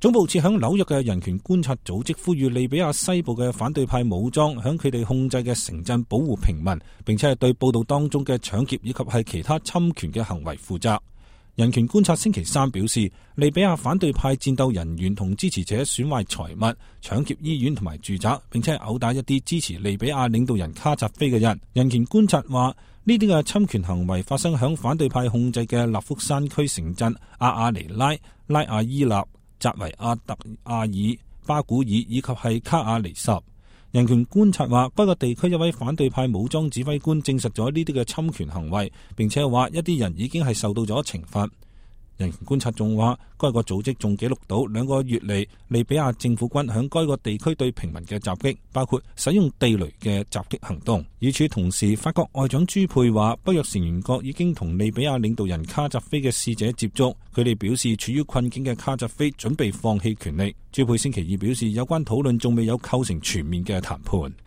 總部設響紐約嘅人權觀察組織呼籲利比亞西部嘅反對派武裝響佢哋控制嘅城鎮保護平民，並且係對報道當中嘅搶劫以及係其他侵權嘅行為負責。人權觀察星期三表示，利比亞反對派戰鬥人員同支持者損壞財物、搶劫醫院同埋住宅，並且係毆打一啲支持利比亞領導人卡扎菲嘅人。人權觀察話，呢啲嘅侵權行為發生響反對派控制嘅納福山區城鎮阿亞尼拉、拉亞伊納、扎維亞特亞爾、巴古爾以及係卡亞尼什。人權觀察話，該個地區一位反對派武裝指揮官證實咗呢啲嘅侵權行為，並且話一啲人已經係受到咗懲罰。人權觀察仲話，該個組織仲記錄到2個月嚟利比亞政府軍響該個地區對平民嘅襲擊，包括使用地雷嘅襲擊行動。與此同時，法國外長朱佩話，北約成員國已經同利比亞領導人卡扎菲嘅使者接觸，佢哋表示處於困境嘅卡扎菲準備放棄權力。朱佩星期二表示，有關討論仲未有構成全面嘅談判。